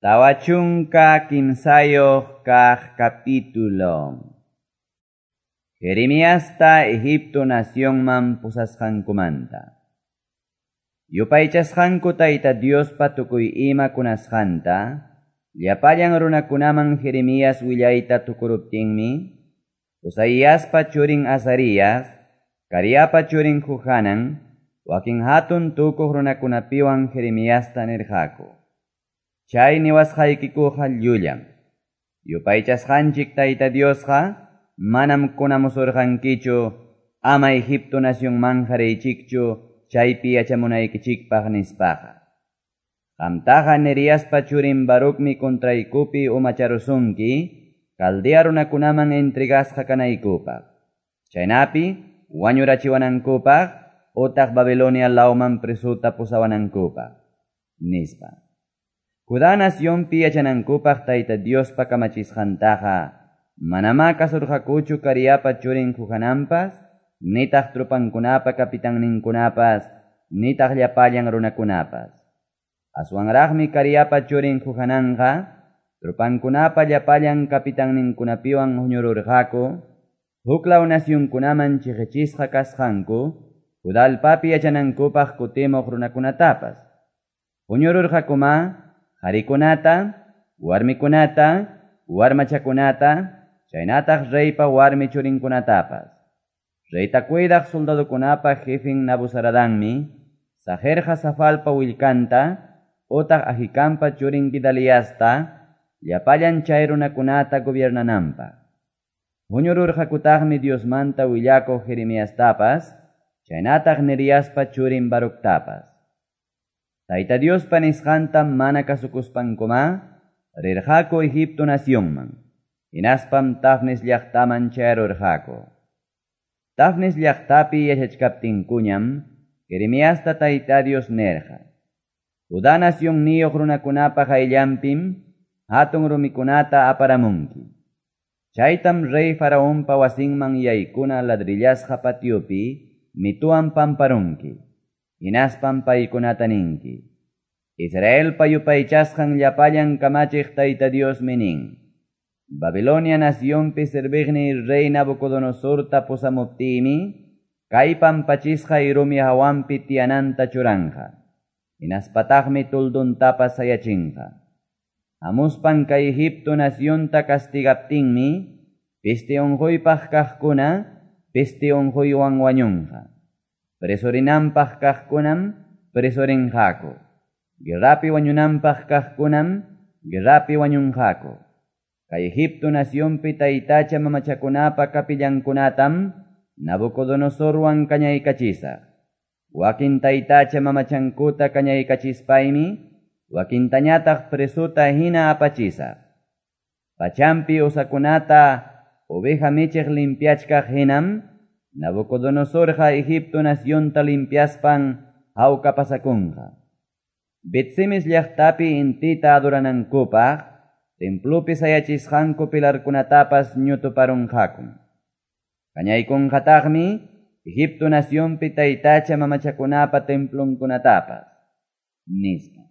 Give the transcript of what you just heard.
43 kaq capítulo. Jeremiasta Egipto nacionman pusasqankumanta. Yupaychasqanku Tayta Diospa tukuy ima kunasqanta, llapallan runakunaman Jeremías willayta tukuruptinmi, Osaiaspa churin Azarías, Careapa churin Johanan, wakin hatun tukuq runakunapiwan Jeremiasta nirqaku: Chay niwasqaykikuqa llullam. Yupaychasqanchik Tayta Diosqa manam kunamusurqankichu ama Egipto nacionmanja riychikchu chaypi yachamunaykichikpaq nispaqa. Qamtaqa Neriaspa churin Barucmi contraykupi umacharusunki Caldea runakunaman entregasqa kanaykupaq. Chaynapi wañurachiwanankupaq utaq Babilonia lawman presuta pusawanankupaq, nispa. Judá nacionpi yachanankupaq Tayta Diospa kamachisqantaqa manamá kasurqakuchu Careapa churin Johananpas, nitaq tropankunapa capitanninkunapas, nitaq llapallan runakunapas. Aswanraqmi Careapa churin Johananqa tropankunapa llapallan capitanninkunapiwan huñururqaku, huklaw nacionkunaman chiqichisqa kasqanku, Judá allpapi yachanankupaq kutimuq runakunatapas. Huñururqakuma qharikunata, warmikunata, warmachakunata, chaynataq reypa warmi churinkunatapas. Reyta cuidaq soldadokunapa jefin Nabuzaradanmi, saqirqa Safalpa willkanta, utaq Ahikampa churin Gedaliasta, llapallan chay runakunata gobiernananpaq. Huñururqakutaqmi Diosmanta willakuq Jeremiastapas, chaynataq Neriaspa churin Baructapas. Tayta Diospa nisqanta mana kasukuspankuma, rirqaku Egipto nacionman, hinaspam Tafnes llaqtaman chayarurqaku. Tafnes llaqtapi yachachkaptinkuñam, Jeremiasta Tayta Dios nirqa: Judá nacionniyuq runakunapa qayllanpim hatun rumikunata aparamunki. Chaytam rey Faraonpa wasinman yaykuna ladrillasqa patiopi mituwan pamparunki. Hinaspam paykunata ninki: Israelpa yupaychasqan llapallan kamachiq Tayta Diosmi nin: Babilonia nacionpi serviqniy rey Nabucodonosorta pusamuptiymi, kay pampachisqay rumi hawanpi tiyananta churanqa. Hinaspataqmi tulduntapas sayachinqa. Hamuspan kay Egipto nacionta castigaptinmi, peste unquypaq kaqkuna peste unquywan wañunqa. Presorinanpaq kaqkunam presorinqaku. Guerrapi wañunanpaq kaqkunam guerrapi wañunqaku. Kay Egipto nacionpi taytacha mamachakunapa capillankunatam Nabucodonosorwan kañaykachisaq. Wakin taytacha mamachankuta kañaykachispaymi, wakintañataq presuta hina apachisaq. Pachampi usakunata oveja michiq limpiachkaq hinam, Nabucodonosorqa Egipto nacionta limpiaspan hawka pasakunqa. Bet-semes llaqtapi intita adoranankupaq, templopi sayachisqanku pilarkunatapas ñutuparunqakum. Kañaykunqataqmi Egipto nacionpi taytacha mamachakunapa templonkunatapas, nispa.